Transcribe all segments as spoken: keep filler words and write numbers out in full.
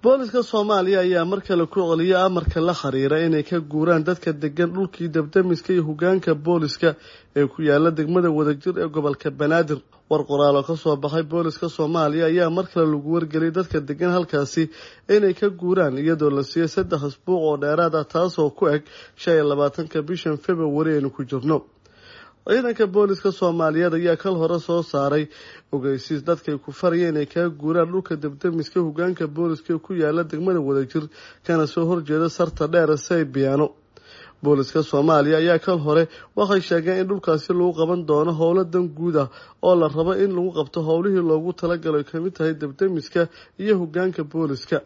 Booliska Soomaaliya ayaa mar kale ku celiyay amarka la xiriira inay ka guuraan dadka degan dhulkii dabdamiska iyo hogaanka booliska ee ku yaala degmada Wadajir ee gobolka Banaadir. War qoraal oo ka soo baxay booliska Soomaaliya ayaa mar kale lagu wargeliyay dadka degan halkaasi inay ka guuraan, iyadoo la siiyay saddex isbuuc oo dheeraad ah, taasoo ku eg shan iyo labaatanka bishan February aynu ku jirno. Ciidanka booliska Soomaaliyeed ayaa kal hore soo saaray ogeysiis dadkay ku farayeen inay kaga guuraan dhulka dabdamiska hogaanka booliska ku yaala degmada Wadajir, kana soo horjeeda sarta dheer Saybiano. Booliska Soomaaliya ayaa kal hore waxay sheegeen in dhulkaasi lagu qaban doono howlo dan guud ah oo la rabo in lagu qabto howlihii loogu talagalay ka mid tahay dabdamiska iyo hogaanka booliska.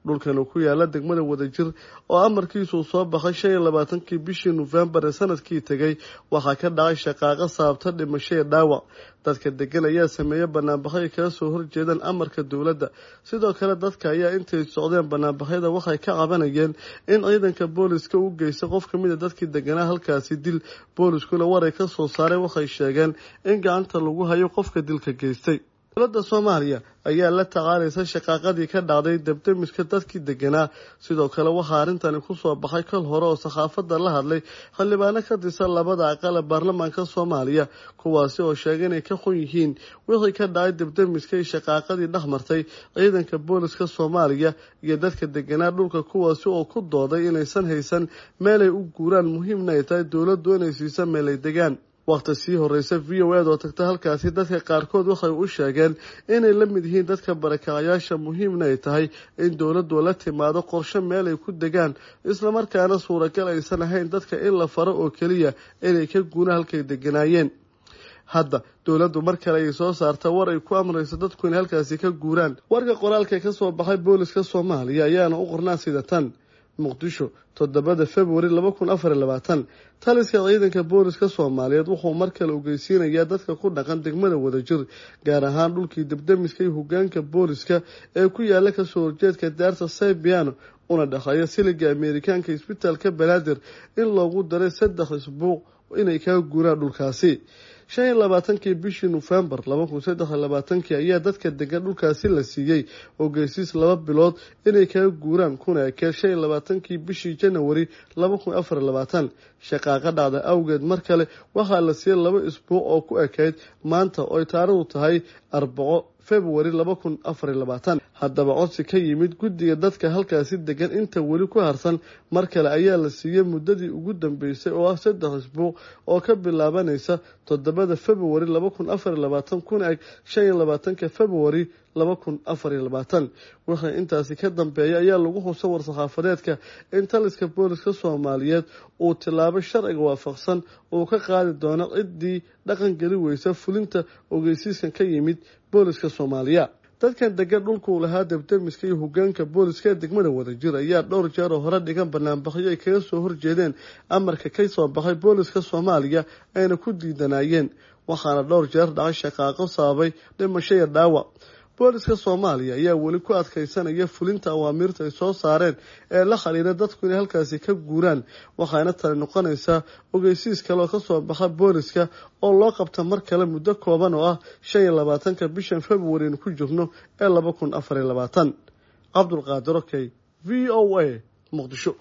Dhulkan ku yaala degmada Wadajir oo amarkiisu soo baxay shan iyo labaatankii bishii November ee sanadkii tegay, waxaa ka dhacay shaqaaqa sababta dhimasho iyo dhaawac. Dadka degan ayaa sameeyay banaanbaxyo kaga soo horjeedaan amarka dowladda. Sidoo kale dadka ayaa intay socdeen banaanbaxyada waxay ka cabanayeen in ciidanka booliska u geystay qof ka mid ah dadkii deganaa halkaasi dil. Booliskuna war ay ka soo saareen waxay sheegeen in gacanta lagu hayo qofka dilka geystay. Dowladda Soomaaliya ayaa la tacaalaysa shaqaaqadii ka dhacday dabdamiska dadkii deganaa. Sidoo kale waxaa arrintani ku soo baxay kal hore oo saxaafadda la hadlay xildhibaano ka tirsan labada aqal ee baarlamaanka Soomaaliya, kuwaasi oo sheegay inay ka xun yihiin wixii ka dhacay dabdamiska iyo shaqaaqadii dhex martay ciidanka booliska Soomaaliya iyo dadka deganaa dhulka, kuwaasi oo ku dooday inaysan haysan meel ay u guuraan, muhiimna ay tahay dowladdu inay siiso meel ay degaan. Waqti sii horeysa V O A oo tagta halkaasi dadka qaarkood waxay u sheegeen inay la mid yihiin dadka barakacayaasha, muhiimna ay tahay in dowladdu la timaado qorshe meel ay ku degaan, isla markaana suuragal aysan ahayn dadka in la faro oo keliya inay ka guuraan halkay deganaayeen. Hadda dowladdu mar kale ay soo saarta war ay ku amrayso dadku inay halkaasi ka guuraan. Warka qoraalka ka soo baxay booliska Soomaaliya ayaana u qornaa sida tan: Muqdisho, toddobada February laba kun afar iyo labaatan. Taliska ciidanka booliska Soomaaliyeed wuxuu mar kale ogeysiinayaa dadka ku dhaqan degmada Wadajir, gaar ahaan dhulkii dabdamiska iyo hogaanka booliska ee ku yaala kasoo horjeedka daarta Saybiano una dhexeeya siliga Ameerikaanka isbitaalka Banaadir, in loogu daray saddex isbuuc inay kaga guuraan dhulkaasi. Shan iyo labaatankii bishii November laba kun saddex iyo labaatankii ayaa dadka degan dhulkaasi la siiyey ogeysiis laba bilood inay kaga guuraan, kuna ekeen shan iyo labaatankii bishii January laba kun afar iyo labaatan. Shaqaaqa dhacda awgeed mar kale waxaa la siiyey laba isbuuc oo ku ekayd maanta oo ay taariikhdu tahay arbaco February laba kun afar iyo labaatan. Haddaba codsi ka yimid guddiga dadka halkaasi degan inta weli ku harsan mar kale ayaa la siiyey muddadii ugu dambeysay oo ah saddex isbuuc oo ka bilaabanaysa toddobada February laba kun afar iyo labaatan kuna eg shan iyo labaatanka February laba kun afar iyo labaatan. Wixii intaasi ka dambeeya ayaa lagu xusa war-saxaafadeedka in taliska booliska Soomaaliyeed uu tilaabo sharciga waafaqsan uu ka qaadi doono ciddii dhaqan geli weysa fulinta ogeysiiskan ka yimid booliska Soomaaliya. Dadkan degan dhulku lahaa dabdamiska iyo hogaanka booliska ee degmada Wadajir ayaa dhowr jeer oo hore dhigan banaanbaxyo ay kaga soo horjeedeen amarka ka soo baxay booliska Soomaaliya ayna ku diidanayeen, waxaana dhowr jeer dhacay shaqaaqo sababay dhimasho iyo dhaawac. Booliska Soomaaliya ayaa weli ku adkaysanaya fulinta awaamiirta ay soo saareen ee la xiriira dadku inay halkaasi ka guuraan, waxaana tani noqonaysaa ogeysiis kale oo ka soo baxa booliska oo loo qabta mar kale muddo kooban oo ah shan iyo labaatanka bishan February aynu ku jirno ee laba kun afar iyo labaatan. Cabdulqaadir Okey, V O A, Muqdisho.